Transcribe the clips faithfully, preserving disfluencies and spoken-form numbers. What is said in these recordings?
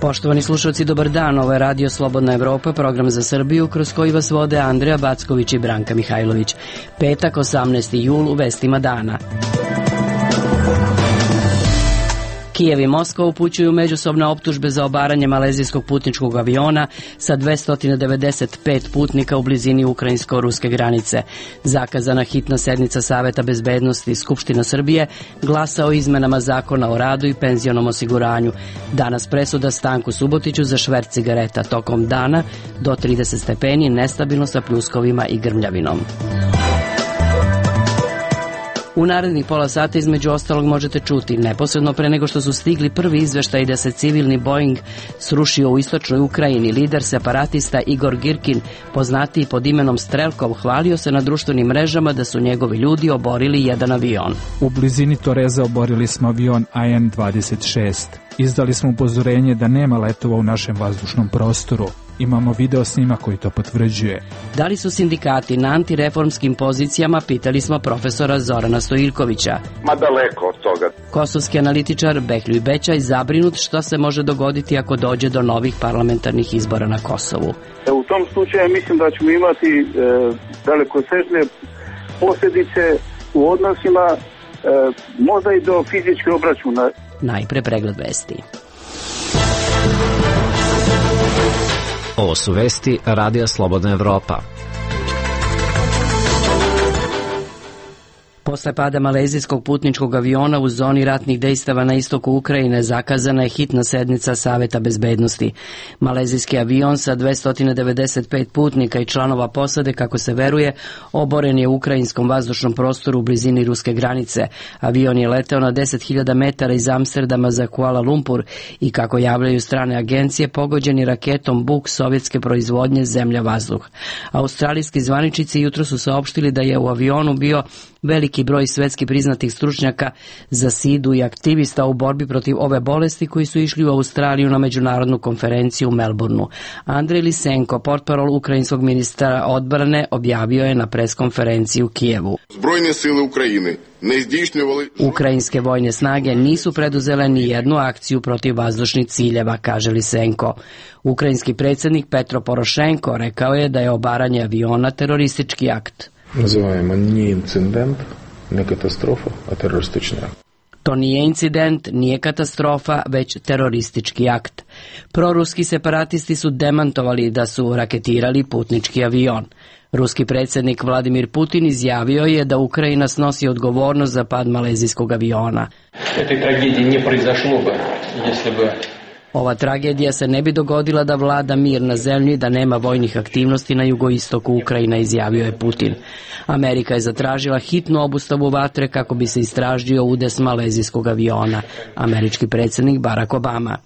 Poštovani slušalci, dobar dan. Ovo je Radio Slobodna Evropa, program za Srbiju, kroz koji vas vode Andreja Backović i Branka Mihajlović. Petak, osamnaesti jul, u vestima dana. Kijev i Moskva upućuju međusobne optužbe za obaranje malezijskog putničkog aviona sa dvesta devedeset pet putnika u blizini ukrajinsko-ruske granice. Zakazana hitna sednica Saveta bezbednosti Skupština Srbije glasa o izmenama zakona o radu i penzionom osiguranju. Danas presuda Stanku Subotiću za šverc cigareta. Tokom dana do trideset stepeni, nestabilno sa pljuskovima i grmljavinom. U narednih pola sata između ostalog možete čuti: neposredno pre nego što su stigli prvi izveštaji da se civilni Boeing srušio u istočnoj Ukrajini, lider separatista Igor Girkin, poznatiji pod imenom Strelkov, hvalio se na društvenim mrežama da su njegovi ljudi oborili jedan avion. U blizini Toreza oborili smo avion A N dvadeset šest. Izdali smo upozorenje da nema letova u našem vazdušnom prostoru. Imamo video snima koji to potvrđuje. Da li su sindikati na antireformskim pozicijama, pitali smo profesora Zorana Stojiljkovića. Ma daleko od toga. Kosovski analitičar Behljuj Bećaj zabrinut što se može dogoditi ako dođe do novih parlamentarnih izbora na Kosovu. U tom slučaju mislim da ćemo imati e, dalekosežne posljedice u odnosima, e, možda i do fizičke obračuna. Najpre pregled vesti. Ovo su vesti Radija Slobodna Evropa. Posle pada malezijskog putničkog aviona u zoni ratnih dejstava na istoku Ukrajine zakazana je hitna sednica Saveta bezbednosti. Malezijski avion sa dvesta devedeset pet putnika i članova posade, kako se veruje, oboren je u ukrajinskom vazdušnom prostoru u blizini ruske granice. Avion je leteo na deset hiljada metara iz Amsterdama za Kuala Lumpur i, kako javljaju strane agencije, pogođen je raketom Buk sovjetske proizvodnje zemlja-vazduh. Australijski zvaničnici jutro su saopštili da je u avionu bio veliki broj svetski priznatih stručnjaka za sidu i aktivista u borbi protiv ove bolesti koji su išli u Australiju na međunarodnu konferenciju u Melbourneu. Andrej Lisenko, portparol ukrajinskog ministra odbrane, objavio je na preskonferenciji u Kijevu. Zbrojne sile Ukrajine ne zdійснювали... Ukrajinske vojne snage nisu preduzele ni jednu akciju protiv vazdušnih ciljeva, kaže Lisenko. Ukrajinski predsjednik Petro Porošenko rekao je da je obaranje aviona teroristički akt. Називаємо не інцидент, не катастрофа, а терористичний акт. To nije incident, nije katastrofa, već teroristički akt. Proruski separatisti su demantovali da su raketirali putnički avion. Ruski predsjednik Vladimir Putin izjavio je da Ukrajina snosi odgovornost za pad malezijskog aviona. Этой трагедии не произошло бы, если бы... Ova tragedija se ne bi dogodila da vlada mir na zemlji, da nema vojnih aktivnosti na jugoistoku Ukrajine, izjavio je Putin. Amerika je zatražila hitnu obustavu vatre kako bi se istražio udes malezijskog aviona. Američki predsjednik Barack Obama.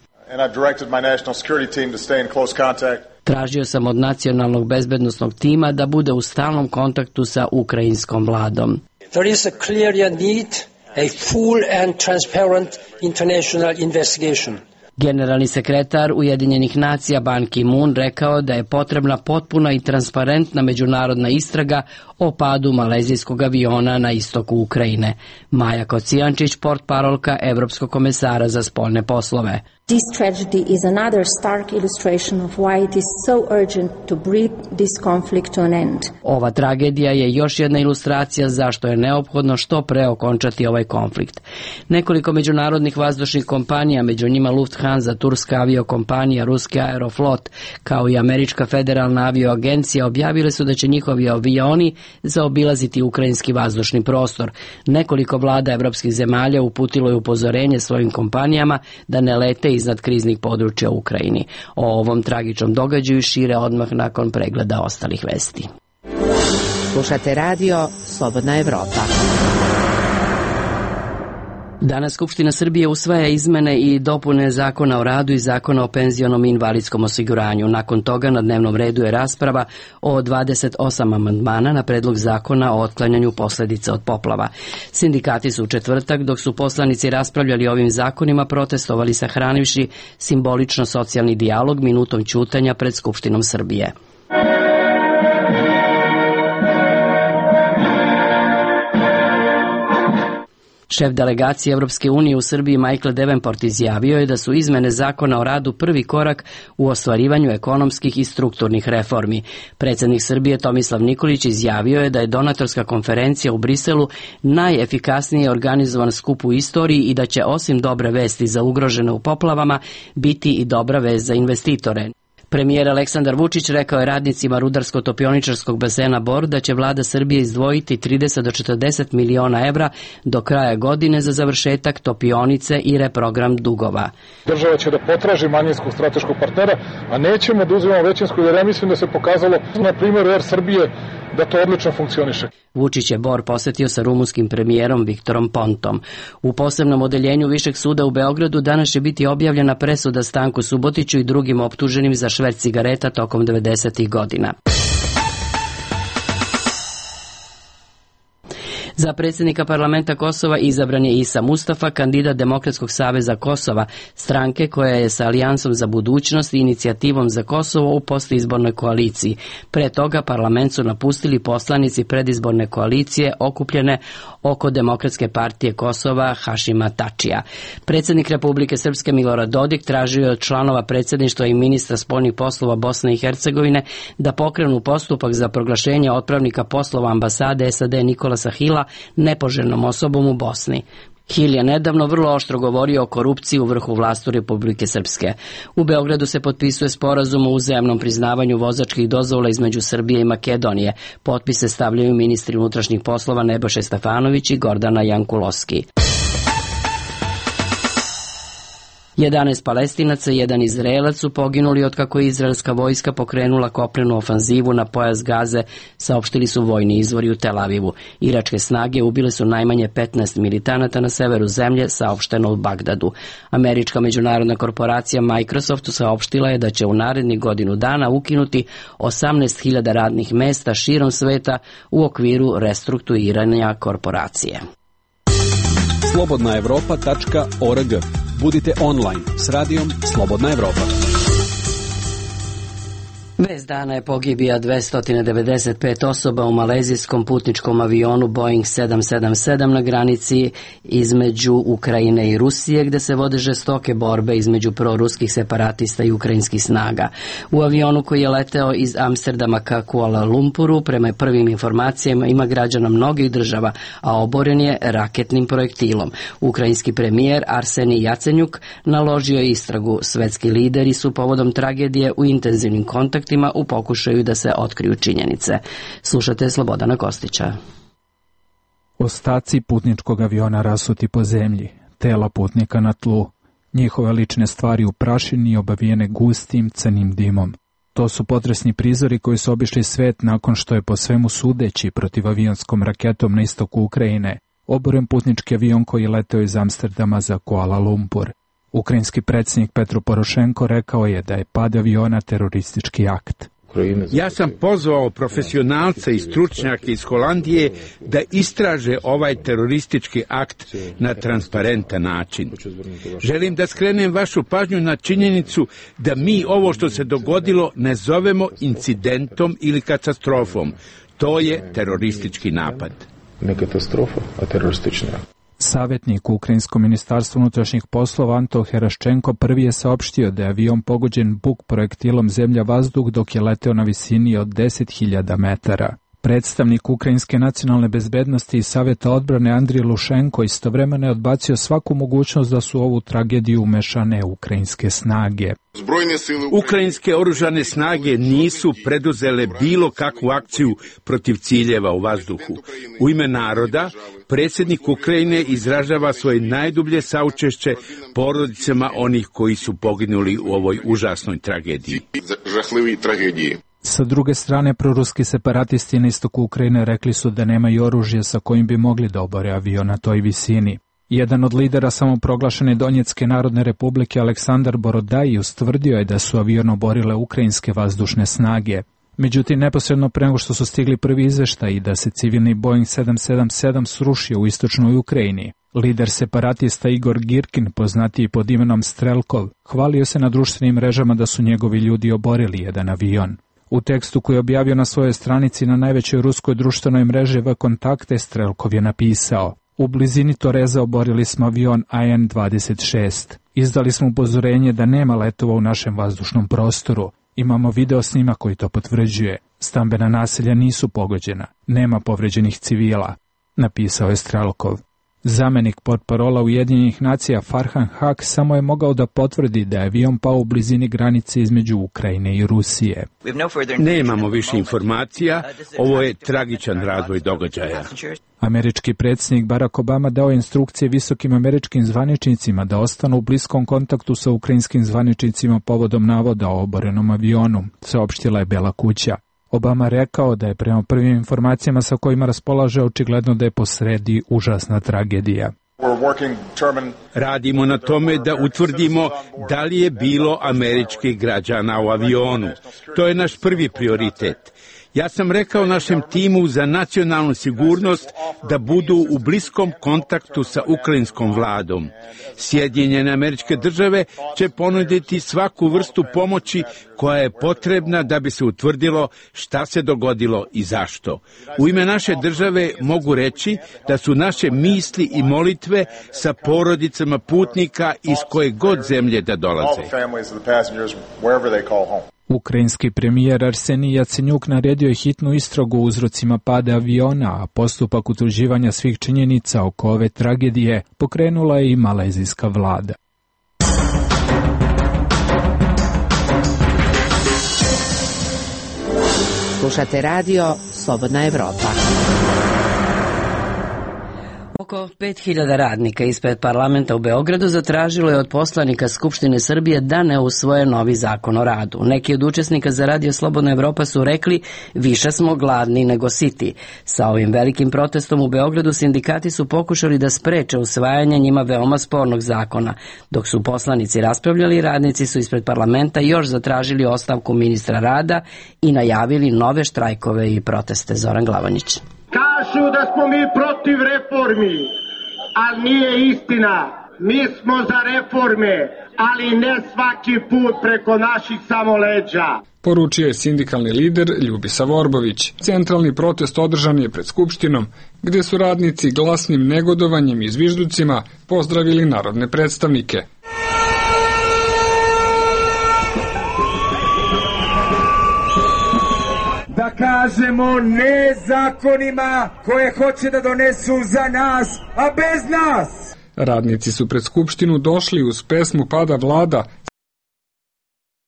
Tražio sam od nacionalnog bezbednosnog tima da bude u stalnom kontaktu sa ukrajinskom vladom. There is a clear need, a full and transparent international investigation. Generalni sekretar Ujedinjenih nacija Ban Ki-moon rekao da je potrebna potpuna i transparentna međunarodna istraga o padu malezijskog aviona na istoku Ukrajine. Maja Kocijančić, portparolka Evropskog komesara za spoljne poslove. This tragedy is another stark illustration of why it is so urgent to bring this conflict to an end. Ova tragedija je još jedna ilustracija zašto je neophodno što pre okončati ovaj konflikt. Nekoliko međunarodnih vazdušnih kompanija, među njima Lufthansa, turska aviokompanija, ruski Aeroflot, kao i američka federalna avioagencija, objavile su da će njihovi avioni zaobilaziti ukrajinski vazdušni prostor. Nekoliko vlada evropskih zemalja uputilo je upozorenje svojim kompanijama da ne lete iznad kriznih područja u Ukrajini. O ovom tragičnom događaju šire odmah nakon pregleda ostalih vesti. Slušate radio Slobodna Evropa. Danas Skupština Srbije usvaja izmene i dopune Zakona o radu i Zakona o penzionom i invalidskom osiguranju. Nakon toga na dnevnom redu je rasprava o dvadeset osam amandmana na predlog zakona o otklanjanju posledica od poplava. Sindikati su u četvrtak, dok su poslanici raspravljali o ovim zakonima, protestovali sahranivši simbolično socijalni dijalog minutom ćutanja pred Skupštinom Srbije. Šef delegacije Evropske unije u Srbiji Michael Davenport izjavio je da su izmene zakona o radu prvi korak u ostvarivanju ekonomskih i strukturnih reformi. Predsjednik Srbije Tomislav Nikolić izjavio je da je donatorska konferencija u Briselu najefikasnije organizovan skup u istoriji i da će osim dobre vesti za ugrožene u poplavama biti i dobra vest za investitore. Premijer Aleksandar Vučić rekao je radnicima rudarsko-topioničarskog basena Bor da će vlada Srbije izdvojiti trideset do četrdeset miliona evra do kraja godine za završetak topionice i reprogram dugova. Država će da potraži manjinskog strateškog partnera, a nećemo da uzimamo većinsku, jer ja mislim da se pokazalo na primjeru Er Srbije da to odlično funkcioniše. Vučić je Bor posetio sa rumunskim premijerom Viktorom Pontom. U posebnom odeljenju Višeg suda u Beogradu danas će biti objavljena presuda Stanku Subotiću i drugim optuženim za šverc cigareta tokom devedesetih godina. Za predsjednika parlamenta Kosova izabran je Isa Mustafa, kandidat Demokratskog saveza Kosova, stranke koja je sa Alijansom za budućnost i inicijativom za Kosovo u postizbornoj koaliciji. Pre toga parlament su napustili poslanici predizborne koalicije okupljene oko Demokratske partije Kosova Hašima Tačija. Predsjednik Republike Srpske Milorad Dodik tražio je od članova predsjedništva i ministra spoljnih poslova Bosne i Hercegovine da pokrenu postupak za proglašenje otpravnika poslova ambasade S A D Nikolasa Hila nepoželjnom osobom u Bosni. Hil je nedavno vrlo oštro govorio o korupciji u vrhu vlasti Republike Srpske. U Beogradu se potpisuje sporazum o uzajamnom priznavanju vozačkih dozvola između Srbije i Makedonije. Potpise stavljaju ministri unutrašnjih poslova Nebojša Stefanović i Gordana Jankulovski. jedanaest Palestinaca i jedan Izraelac su poginuli otkako je izraelska vojska pokrenula kopnenu ofanzivu na pojas Gaze, saopštili su vojni izvori u Tel Avivu. Iračke snage ubile su najmanje petnaest militanata na severu zemlje, saopšteno u Bagdadu. Američka međunarodna korporacija Microsoft saopštila je da će u narednih godinu dana ukinuti osamnaest hiljada radnih mesta širom sveta u okviru restrukturiranja korporacije. slobodna evropa tačka org. Budite online s radijom Slobodna Evropa. Vest dana je pogibija dvesta devedeset pet osoba u malezijskom putničkom avionu Boeing sedam sedam sedam na granici između Ukrajine i Rusije, gde se vode žestoke borbe između proruskih separatista i ukrajinskih snaga. U avionu koji je leteo iz Amsterdama ka Kuala Lumpuru, prema prvim informacijama, ima građana mnogih država, a oboren je raketnim projektilom. Ukrajinski premijer Arsenij Jacenjuk naložio je istragu. Svetski lideri su povodom tragedije u intenzivnim kontaktima u pokušaju da se otkriju činjenice. Slušate Slobodana Kostića. Ostaci putničkog aviona rasuti po zemlji, tela putnika na tlu, njihove lične stvari u prašini i obavijene gustim crnim dimom. To su potresni prizori koji su obišli svet nakon što je po svemu sudeći protivavionskom raketom na istoku Ukrajine oboren putnički avion koji je leteo iz Amsterdama za Kuala Lumpur. Ukrajinski predsjednik Petro Porošenko rekao je da je pad aviona teroristički akt. Ja sam pozvao profesionalce i stručnjake iz Holandije da istraže ovaj teroristički akt na transparentan način. Želim da skrenem vašu pažnju na činjenicu da mi ovo što se dogodilo ne zovemo incidentom ili katastrofom. To je teroristički napad. Ne katastrofa, a teroristični akt. Savjetnik u Ukrajinskom ministarstvu unutrašnjih poslova Anto Heraščenko prvi je saopštio da je avion pogođen buk projektilom zemlja-vazduh dok je leteo na visini od deset hiljada metara. Predstavnik Ukrajinske nacionalne bezbednosti i Savjeta odbrane Andrij Lušenko istovremeno je odbacio svaku mogućnost da su u ovu tragediju umešane ukrajinske snage. Ukrajinske oružane snage nisu preduzele bilo kakvu akciju protiv ciljeva u vazduhu. U ime naroda, predsjednik Ukrajine izražava svoje najdublje saučešće porodicama onih koji su poginuli u ovoj užasnoj tragediji. Sa druge strane, proruski separatisti na istoku Ukrajine rekli su da nemaju oružje sa kojim bi mogli da obore avion na toj visini. Jedan od lidera samoproglašene Donjetske narodne republike, Aleksandar Borodaj, ustvrdio je da su avion oborile ukrajinske vazdušne snage. Međutim, neposredno pre nego što su stigli prvi izveštaji da se civilni Boeing sedam sedam sedam srušio u istočnoj Ukrajini, lider separatista Igor Girkin, poznatiji pod imenom Strelkov, hvalio se na društvenim mrežama da su njegovi ljudi oborili jedan avion. U tekstu koji je objavio na svojoj stranici na najvećoj ruskoj društvenoj mreži V Kontakte, Strelkov je napisao: U blizini Toreza oborili smo avion A N dvadeset šest. Izdali smo upozorenje da nema letova u našem vazdušnom prostoru. Imamo video snima koji to potvrđuje. Stambena naselja nisu pogođena. Nema povređenih civila, napisao je Strelkov. Zamenik portparola Ujedinjenih nacija Farhan Haq samo je mogao da potvrdi da je avion pao u blizini granice između Ukrajine i Rusije. Nemamo više informacija, ovo je tragičan razvoj događaja. Američki predsjednik Barack Obama dao je instrukcije visokim američkim zvaničnicima da ostanu u bliskom kontaktu sa ukrajinskim zvaničnicima povodom navoda o oborenom avionu, saopštila je Bela kuća. Obama rekao da je prema prvim informacijama sa kojima raspolaže očigledno da je posredi užasna tragedija. Radimo na tome da utvrdimo da li je bilo američkih građana u avionu. To je naš prvi prioritet. Ja sam rekao našem timu za nacionalnu sigurnost da budu u bliskom kontaktu sa ukrajinskom vladom. Sjedinjene Američke Države će ponuditi svaku vrstu pomoći koja je potrebna da bi se utvrdilo šta se dogodilo i zašto. U ime naše države mogu reći da su naše misli i molitve sa porodicama putnika iz koje god zemlje da dolaze. Ukrajinski premijer Arsenij Jacenjuk naredio je hitnu istragu o uzrocima pada aviona, a postupak utvrđivanja svih činjenica oko ove tragedije pokrenula je i malezijska vlada. Slušate radio Slobodna Evropa. Oko pet hiljada radnika ispred parlamenta u Beogradu zatražilo je od poslanika Skupštine Srbije da ne usvoje novi zakon o radu. Neki od učesnika za Radio Slobodna Evropa su rekli više smo gladni nego siti. Sa ovim velikim protestom u Beogradu sindikati su pokušali da spreče usvajanje njima veoma spornog zakona. Dok su poslanici raspravljali, radnici su ispred parlamenta još zatražili ostavku ministra rada i najavili nove štrajkove i proteste. Zoran Glavonjić. Kažu da smo mi protiv reformi, ali nije istina. Mi smo za reforme, ali ne svaki put preko naših samo leđa. Poručio je sindikalni lider Ljubisa Vorbović. Centralni protest održan je pred Skupštinom, gde su radnici glasnim negodovanjem i zvižducima pozdravili narodne predstavnike. Da kažemo ne zakonima koje hoće da donesu za nas, a bez nas. Radnici su pred Skupštinu došli uz pesmu Pada vlada.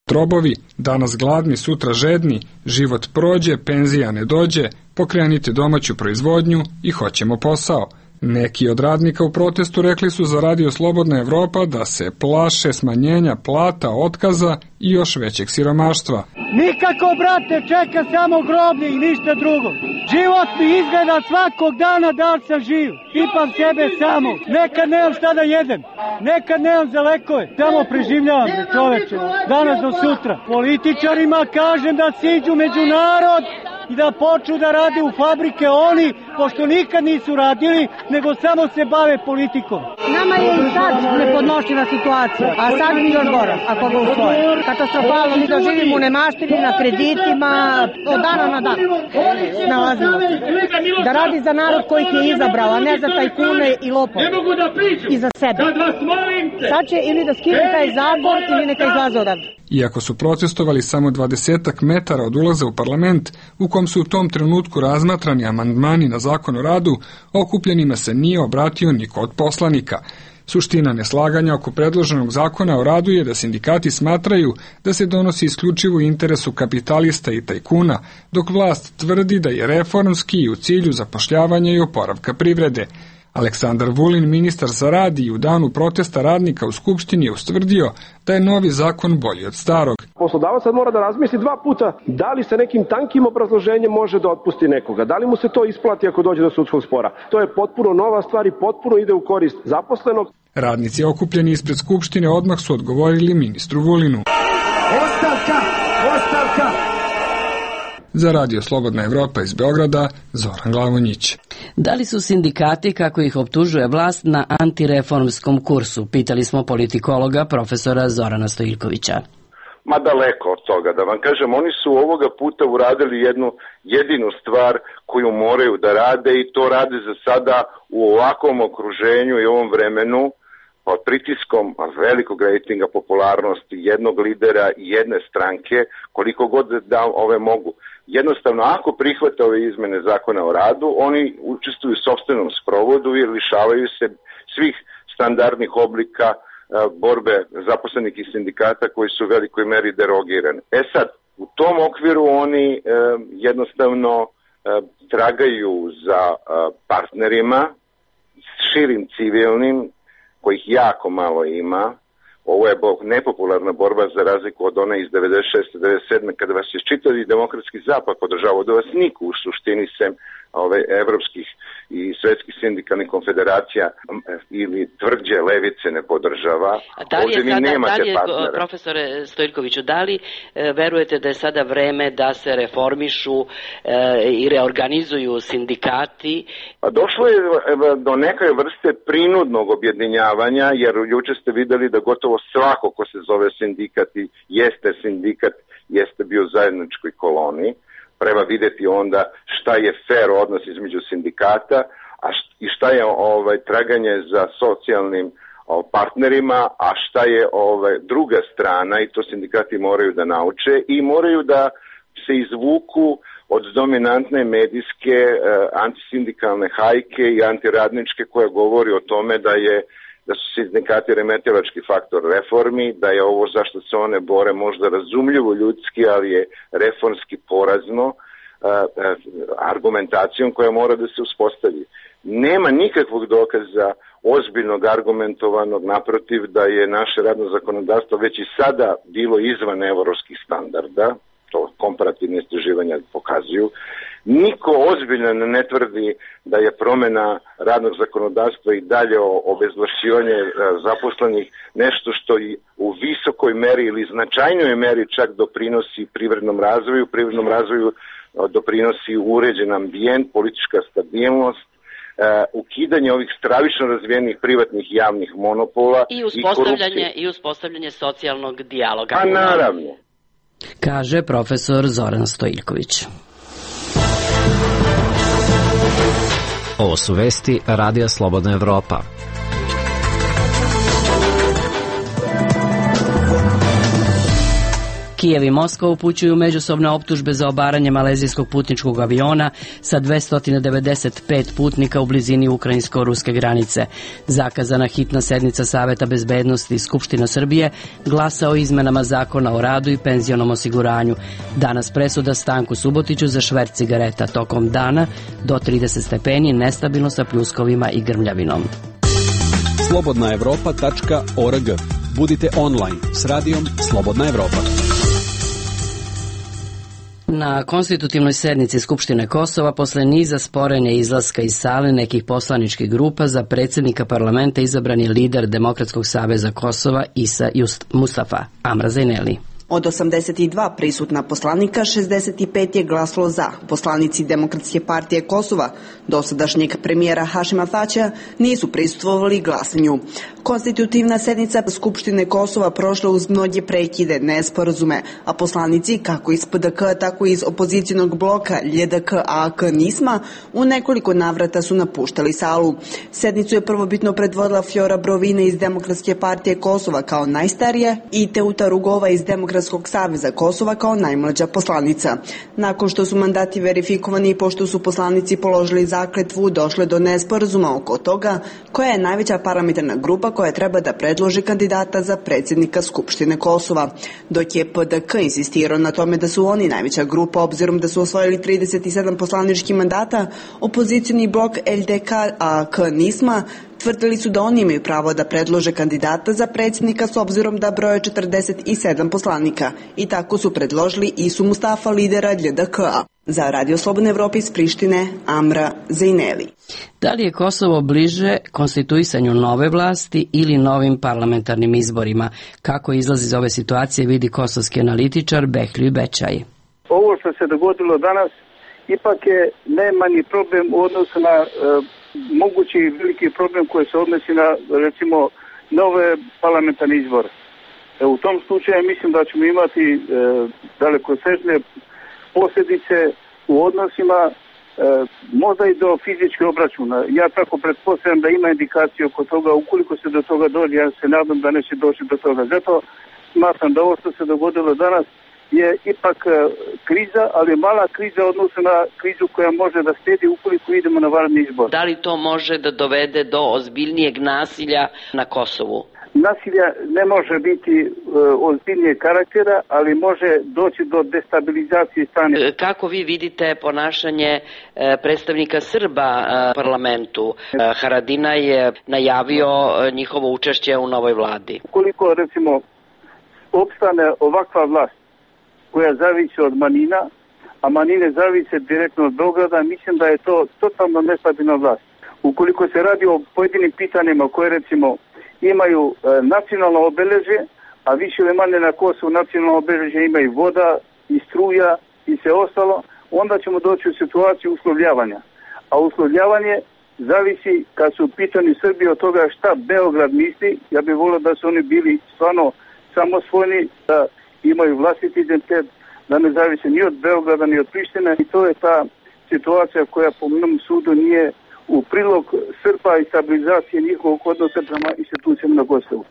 Trobovi, danas gladni, sutra žedni, život prođe, penzija ne dođe, pokrenite domaću proizvodnju i hoćemo posao. Neki od radnika u protestu rekli su za Radio Slobodna Evropa da se plaše smanjenja plata, otkaza i još većeg siromaštva. Nikako, brate, čeka samo groblje i ništa drugo. Život mi izgleda svakog dana da li sam živ. Pipam sebe samo. Nekad nemam šta da jedem. Nekad nemam za lekove. Samo preživljavam, čoveče. Danas do sutra. Političarima kažem da siđu među narod i da počnu da rade u fabrike oni, pošto nikad nisu radili, nego samo se bave politikom. Nama je i sad nepodnošljiva situacija, a sad mi još gora, ako ga usvoje. Katastrofalno, mi doživimo u nemaštini, na kreditima, od dana na dan. Snalazimo se. Da radi za narod koji ih je izabrao, a ne za tajkune i lopove. I za sebe. Sad će ili da skine taj zakon ili neka izlaze odavde. Iako su protestovali samo dvadesetak metara od ulaza u parlament, u kom su u tom trenutku razmatrani amandmani na zakon o radu, okupljenima se nije obratio niko od poslanika. Suština neslaganja oko predloženog zakona o radu je da sindikati smatraju da se donosi isključivo u interesu kapitalista i tajkuna, dok vlast tvrdi da je reformski i u cilju zapošljavanja i oporavka privrede. Aleksandar Vulin, ministar za rad, i u danu protesta radnika u Skupštini je ustvrdio da je novi zakon bolji od starog. Poslodavac sad mora da razmisli dva puta da li se nekim tankim obrazloženjem može da otpusti nekoga, da li mu se to isplati ako dođe do sudskog spora. To je potpuno nova stvar i potpuno ide u korist zaposlenog. Radnici okupljeni ispred Skupštine odmah su odgovorili ministru Vulinu. Ostavka! Ostavka! Za Radio Slobodna Evropa iz Beograda, Zoran Glavonjić. Da li su sindikati, kako ih optužuje vlast, na antireformskom kursu? Pitali smo politikologa profesora Zorana Stojiljkovića. Ma daleko od toga, da vam kažem, oni su ovoga puta uradili jednu jedinu stvar koju moraju da rade i to rade za sada u ovakvom okruženju i ovom vremenu pod pritiskom velikog rejtinga popularnosti jednog lidera i jedne stranke, koliko god da ove mogu. Jednostavno, ako prihvate ove izmene zakona o radu, oni učestvuju u sopstvenom sprovodu i lišavaju se svih standardnih oblika borbe zaposlenih i sindikata koji su u velikoj meri derogirani. E sad, u tom okviru oni e, jednostavno e, tragaju za e, partnerima širim civilnim, kojih jako malo ima. Ovo je nepopularna borba za razliku od one iz devedeset šeste devedeset sedme kada vas je čitavi demokratski zapad podržavao, da vas niko u suštini sem ove evropskih i svetskih sindikalnih konfederacija ili tvrđe levice ne podržava. Da li je, Ovdje sada, nemate da li je partnera. Profesore Stojkoviću, da li e, verujete da je sada vreme da se reformišu e, i reorganizuju sindikati? Pa došlo je do neke vrste prinudnog objedinjavanja, jer juče ste videli da gotovo svako ko se zove sindikat i jeste sindikat, jeste bio u zajedničkoj koloni. Treba videti onda šta je fair odnos između sindikata a št, i šta je ovaj, traganje za socijalnim ovaj, partnerima, a šta je ovaj, druga strana, i to sindikati moraju da nauče i moraju da se izvuku od dominantne medijske eh, antisindikalne hajke i antiradničke koja govori o tome da je da su sindikati remetilački faktor reformi, da je ovo zašto se one bore možda razumljivo ljudski, ali je reformski porazno, argumentacijom koja mora da se uspostavi. Nema nikakvog dokaza ozbiljnog argumentovanog, naprotiv, da je naše radno zakonodavstvo već i sada bilo izvan evropskih standarda, to komparativne istraživanja pokazuju. Niko ozbiljno ne tvrdi da je promjena radnog zakonodavstva i dalje obezvlašćivanje zaposlenih nešto što i u visokoj meri ili značajnoj meri čak doprinosi privrednom razvoju. Privrednom razvoju doprinosi uređen ambijent, politička stabilnost, ukidanje ovih stravično razvijenih privatnih javnih monopola i uspostavljanje, i, i uspostavljanje socijalnog dijaloga. Pa naravno. Kaže profesor Zoran Stojiljković. Ovo su vesti Radija Slobodna Evropa. Kijev i Moskva upućuju međusobne optužbe za obaranje malezijskog putničkog aviona sa dvesta devedeset pet putnika u blizini ukrajinsko-ruske granice. Zakazana hitna sednica Saveta bezbednosti Skupština Srbije glasa o izmenama zakona o radu i penzionom osiguranju. Danas presuda Stanku Subotiću za šverc cigareta tokom dana do trideset stepeni, nestabilno sa pljuskovima i grmljavinom. slobodna evropa tačka org. Budite online s radijom Slobodna Evropa. Na konstitutivnoj sednici Skupštine Kosova posle niza sporenja izlaska iz sale nekih poslaničkih grupa za predsjednika parlamenta izabran je lider Demokratskog saveza Kosova Isa Just Mustafa Amra Zajneli. Od osamdeset dva prisutna poslanika, šezdeset pet je glasalo za. Poslanici Demokratske partije Kosova, dosadašnjeg premijera Hašima Tačija, nisu prisustvovali glasanju. Konstitutivna sednica Skupštine Kosova prošla uz mnoge prekide, nesporazume, a poslanici, kako iz P D K, tako i iz opozicijnog bloka L D K A A K Nisma, u nekoliko navrata su napuštali salu. Sednicu je prvobitno predvodila Fjora Brovina iz Demokratske partije Kosova kao najstarija i Teuta Rugova iz Demokratske Demokratskog saveza Kosova kao najmlađa poslanica. Nakon što su mandati verifikovani i pošto su poslanici položili zakletvu, došle do nesporazuma oko toga koja je najveća parlamentarna grupa koja treba da predloži kandidata za predsjednika Skupštine Kosova. Dok je P D K insistirao na tome da su oni najveća grupa obzirom da su osvojili trideset sedam poslaničkih mandata, opozicioni blok L D K A A K Nisma tvrdili su da oni imaju pravo da predlože kandidata za predsjednika s obzirom da broje četrdeset sedam poslanika i tako su predložili Isu Mustafa, lidera L D K A. Za Radio Slobodne Evrope iz Prištine, Amra Zajneli. Da li je Kosovo bliže konstituisanju nove vlasti ili novim parlamentarnim izborima? Kako izlazi iz ove situacije vidi kosovski analitičar Behlju Bečaj. Ovo što se dogodilo danas ipak je najmanji problem u odnosu na e, mogući veliki problem koji se odnosi na, recimo, nove parlamentarne izbore. E, u tom slučaju mislim da ćemo imati e, dalekosežne posljedice u odnosima, e, možda i do fizičke obračuna. Ja tako pretpostavljam da ima indikacije oko toga, ukoliko se do toga dođe, ja se nadam da neće doći do toga. Zato smatram da ovo što se dogodilo danas je ipak e, kriza, ali mala kriza odnosno na krizu koja može da slijedi ukoliko idemo na vanredni izbor. Da li to može da dovede do ozbiljnijeg nasilja na Kosovu? Nasilja ne može biti e, ozbiljnijeg karaktera, ali može doći do destabilizacije stanja. Kako vi vidite ponašanje e, predstavnika Srba e, parlamentu? E, Haradinaj je najavio e, njihovo učešće u novoj vladi. Koliko recimo opstane ovakva vlast koja zavisi od manjina, a manjine zavise direktno od Beograda, mislim da je to totalno nestabilna vlast. Ukoliko se radi o pojedinim pitanjima koje recimo imaju e, nacionalno obeležje, a više ili manje na Kosovu nacionalno obeležje imaju voda i struja i sve ostalo, onda ćemo doći u situaciju uslovljavanja. A uslovljavanje zavisi kad su u pitanju Srbije od toga šta Beograd misli. Ja bih volio da su oni bili stvarno samosvojni, da imaju vlastiti identitet, da ne zavise ni od Beograda ni od Prištine i to je ta situacija koja po mnom sudu nije u prilog Srba i stabilizacije njihovog odnosa prema institucijama na Kosovu.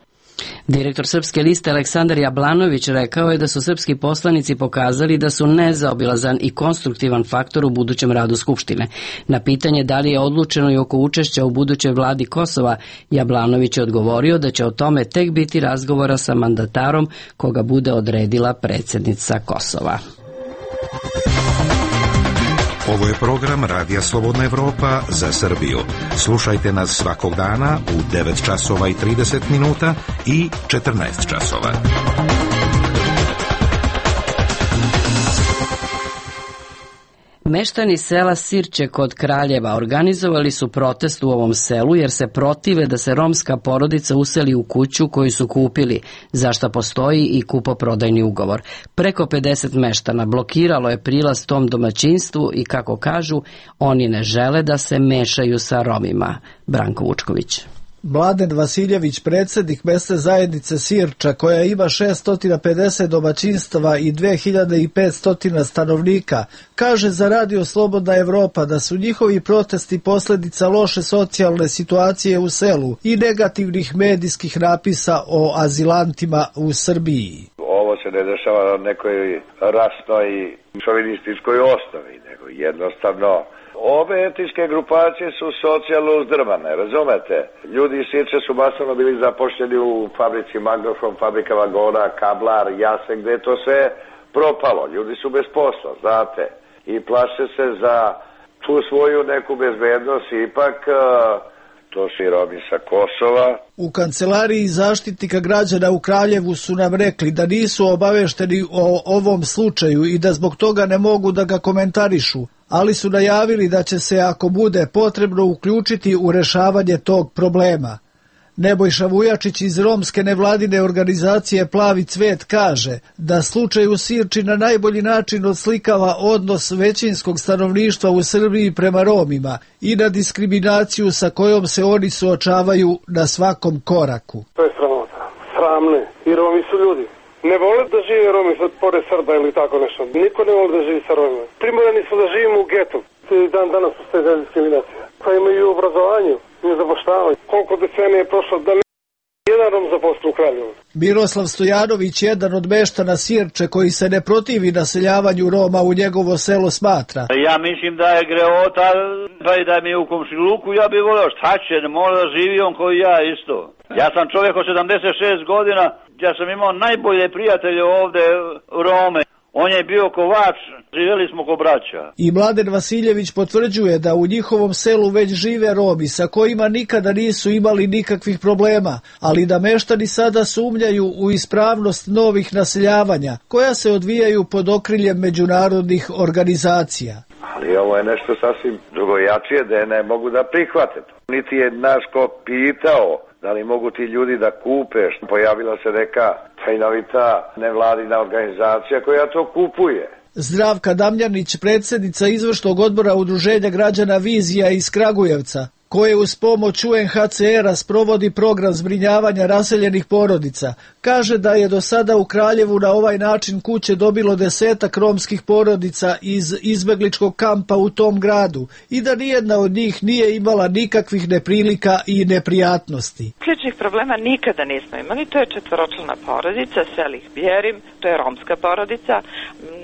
Direktor Srpske liste Aleksandar Jablanović rekao je da su srpski poslanici pokazali da su nezaobilazan i konstruktivan faktor u budućem radu Skupštine. Na pitanje da li je odlučeno i oko učešća u budućoj vladi Kosova, Jablanović je odgovorio da će o tome tek biti razgovora sa mandatarom koga bude odredila predsjednica Kosova. Ovo je program Radija Slobodna Evropa za Srbiju. Slušajte nas svakog dana u devet časova i trideset minuta i četrnaest časova. Meštani sela Sirče kod Kraljeva organizovali su protest u ovom selu jer se protive da se romska porodica useli u kuću koju su kupili, za šta postoji i kupoprodajni ugovor. Preko pedeset meštana blokiralo je prilaz tom domaćinstvu i, kako kažu, oni ne žele da se mešaju sa Romima. Branko Vučković. Mladen Vasiljević, predsjednik mesne zajednice Sirča, koja ima šesto pedeset domaćinstava i dve hiljade petsto stanovnika, kaže za Radio Slobodna Evropa da su njihovi protesti posljedica loše socijalne situacije u selu i negativnih medijskih napisa o azilantima u Srbiji. Ovo se ne dešava na nekoj rasnoj i šovinističkoj osnovi, nego jednostavno ove etničke grupacije su socijalno uzdrmane, razumete? Ljudi iz Sirče su masovno bili zapošljeni u fabrici Magnofon, fabrika vagona, Kablar, Jase, gde je to sve propalo. Ljudi su bez posla, znate, i plaše se za tu svoju neku bezbednost, ipak to su i Romi sa Kosova. U kancelariji zaštitnika građana u Kraljevu su nam rekli da nisu obavešteni o ovom slučaju i da zbog toga ne mogu da ga komentarišu, ali su najavili da će se, ako bude potrebno, uključiti u rešavanje tog problema. Nebojša Vujačić iz romske nevladine organizacije Plavi cvet kaže da slučaj u Sirči na najbolji način odslikava odnos većinskog stanovništva u Srbiji prema Romima i na diskriminaciju sa kojom se oni suočavaju na svakom koraku. To je sramota. Sramne. I Romi su ljudi. Ne vole da žive Romi pored Srba ili tako nešto. Niko ne vole da živi sa Romima. Primorani su da živimo u getu. Dan danas postoje diskriminacija. Pa imaju i obrazovanje, i zapošljavanje. Koliko decenije je prošlo da jedan Rom zaposli u Kraljevu. Miroslav Stojanović, jedan od meštana Sirče koji se ne protivi naseljavanju Roma u njegovo selo, smatra. Ja mislim da je greota, pa i da mi je u komšiluku, ja bih volio šta će, ne mora da živi on koji ja isto. Ja sam čovjek od sedamdeset šest godina, ja sam imao najbolje prijatelje ovde Rome. On je bio kovač, živjeli smo ko braća. I Mladen Vasiljević potvrđuje da u njihovom selu već žive Romi sa kojima nikada nisu imali nikakvih problema, ali da meštani sada sumnjaju u ispravnost novih naseljavanja koja se odvijaju pod okriljem međunarodnih organizacija. Ali ovo je nešto sasvim drugojačije da je ne mogu da prihvate. Niti je naš ko pitao da li mogu ti ljudi da kupe. Pojavila se neka tajnovita nevladina organizacija koja to kupuje. Zdravka Damljanić, predsjednica izvršnog odbora Udruženja građana Vizija iz Kragujevca, koje uz pomoć U N H C R-a sprovodi program zbrinjavanja raseljenih porodica, kaže da je do sada u Kraljevu na ovaj način kuće dobilo desetak romskih porodica iz izbegličkog kampa u tom gradu i da nijedna od njih nije imala nikakvih neprilika i neprijatnosti. Ključnih problema nikada nismo imali, to je četvoročlana porodica, Selih Bjerim, to je romska porodica,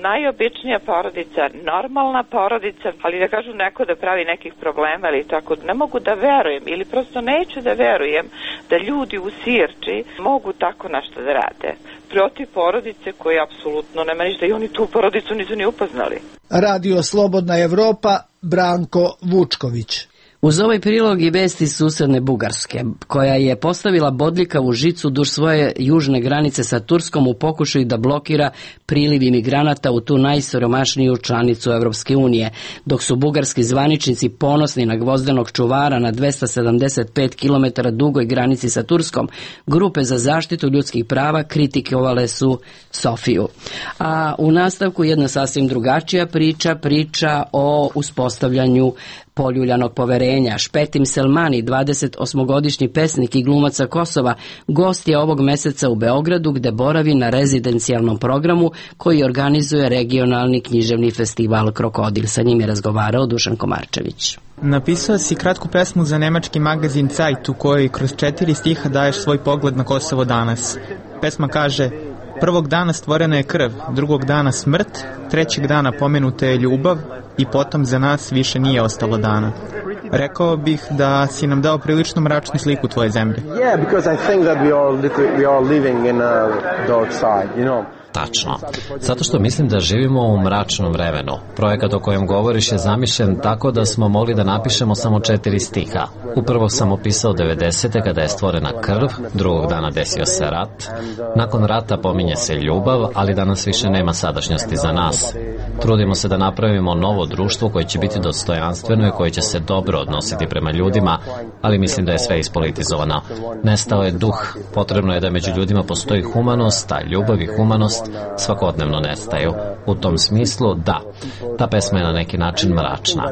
najobičnija porodica, normalna porodica, ali da kažu neko da pravi nekih problema ili tako, ne mogu da verujem ili prosto neću da verujem da ljudi u Sirči mogu tako nešto da rade protiv porodice koje apsolutno nema ništa i oni tu porodicu nisu ni upoznali. Radio Slobodna Evropa, Branko Vučković. Uz ovaj prilog i vesti susedne Bugarske, koja je postavila bodljikavu žicu duž svoje južne granice sa Turskom u pokušaju da blokira priliv imigranata u tu najsiromašniju članicu Evropske unije, dok su bugarski zvaničnici ponosni na gvozdenog čuvara na dvesta sedamdeset pet kilometara dugoj granici sa Turskom, grupe za zaštitu ljudskih prava kritikovale su Sofiju. A u nastavku jedna sasvim drugačija priča, priča o uspostavljanju poljuljanog poverenja. Špetim Selmani, dvadesetosmogodišnji pesnik i glumac sa Kosova, gost je ovog meseca u Beogradu gde boravi na rezidencijalnom programu koji organizuje regionalni književni festival Krokodil. Sa njim je razgovarao Dušan Komarčević. Napisao si kratku pesmu za nemački magazin Zeit u kojoj kroz četiri stiha daješ svoj pogled na Kosovo danas. Pesma kaže: prvog dana stvorena je krv, drugog dana smrt, trećeg dana pomenuta je ljubav i potom za nas više nije ostalo dana. Rekao bih da si nam dao prilično mračnu sliku tvoje zemlje. Yeah, because I think that we are we are living in a dark side, you know. Tačno. Zato što mislim da živimo u mračnom vremenu. Projekat o kojem govoriš je zamišljen tako da smo mogli da napišemo samo četiri stiha. Upravo sam opisao devedesete kada je stvorena krv, drugog dana desio se rat. Nakon rata pominje se ljubav, ali danas više nema sadašnjosti za nas. Trudimo se da napravimo novo društvo koje će biti dostojanstveno i koje će se dobro odnositi prema ljudima, ali mislim da je sve ispolitizovano. Nestao je duh. Potrebno je da među ljudima postoji humanost, a ljubav i humanost svakodnevno nestaju. U tom smislu, da, ta pesma je na neki način mračna.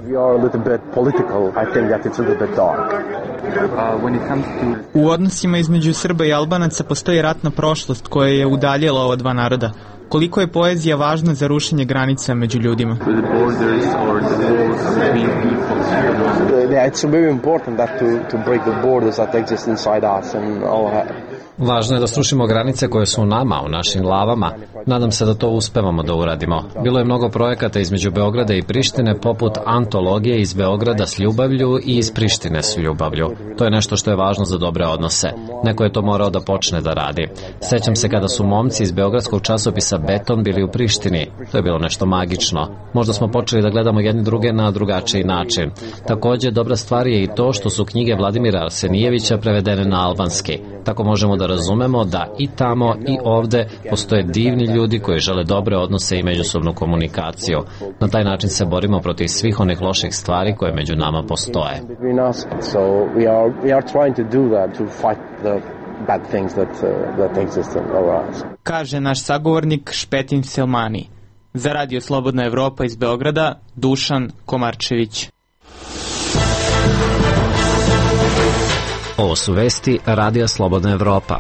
U odnosima između Srba i Albanaca postoji ratna prošlost koja je udaljila ova dva naroda. Koliko je poezija važna za rušenje granica među ljudima? It's very important that to to break the borders that exist inside us and all that. Važno je da srušimo granice koje su u nama, u našim glavama. Nadam se da to uspevamo da uradimo. Bilo je mnogo projekata između Beograda i Prištine, poput antologije iz Beograda s ljubavlju i iz Prištine s ljubavlju. To je nešto što je važno za dobre odnose. Neko je to morao da počne da radi. Sećam se kada su momci iz beogradskog časopisa Beton bili u Prištini. To je bilo nešto magično. Možda smo počeli da gledamo jedni druge na drugačiji način. Takođe, dobra stvar je i to što su knjige Vladimira Arsenijevića prevedene na albanski. Tako možemo da razumemo da i tamo i ovde postoje divni ljudi koji žele dobre odnose i međusobnu komunikaciju. Na taj način se borimo protiv svih onih loših stvari koje među nama postoje. Kaže naš sagovornik Špetin Selmani. Za Radio Slobodna Evropa iz Beograda, Dušan Komarčević. Ovo su vesti Radija Slobodna Evropa.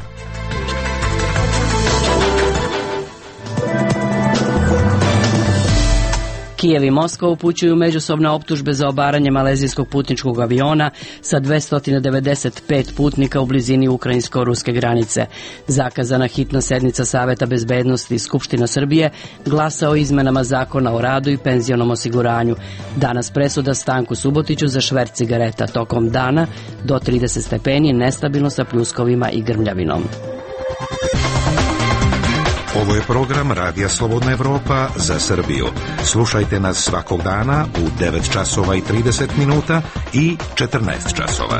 Kijev i Moskva upućuju međusobne optužbe za obaranje malezijskog putničkog aviona sa dvesta devedeset pet putnika u blizini ukrajinsko-ruske granice. Zakazana hitna sednica Saveta bezbednosti Skupština Srbije glasa o izmenama zakona o radu i penzionom osiguranju. Danas presuda Stanku Subotiću za šverc cigareta. Tokom dana do trideset stepeni, nestabilno sa pljuskovima i grmljavinom. Ovo je program Radija Slobodna Evropa za Srbiju. Slušajte nas svakog dana u devet časova i trideset minuta i četrnaest časova.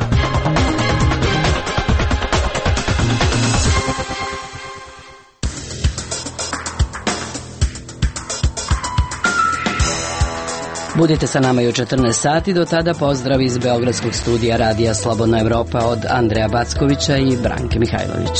Budite sa nama i u četrnaest sati, do tada pozdrav iz Beogradskog studija Radija Slobodna Evropa od Andreja Backovića i Branke Mihajlović.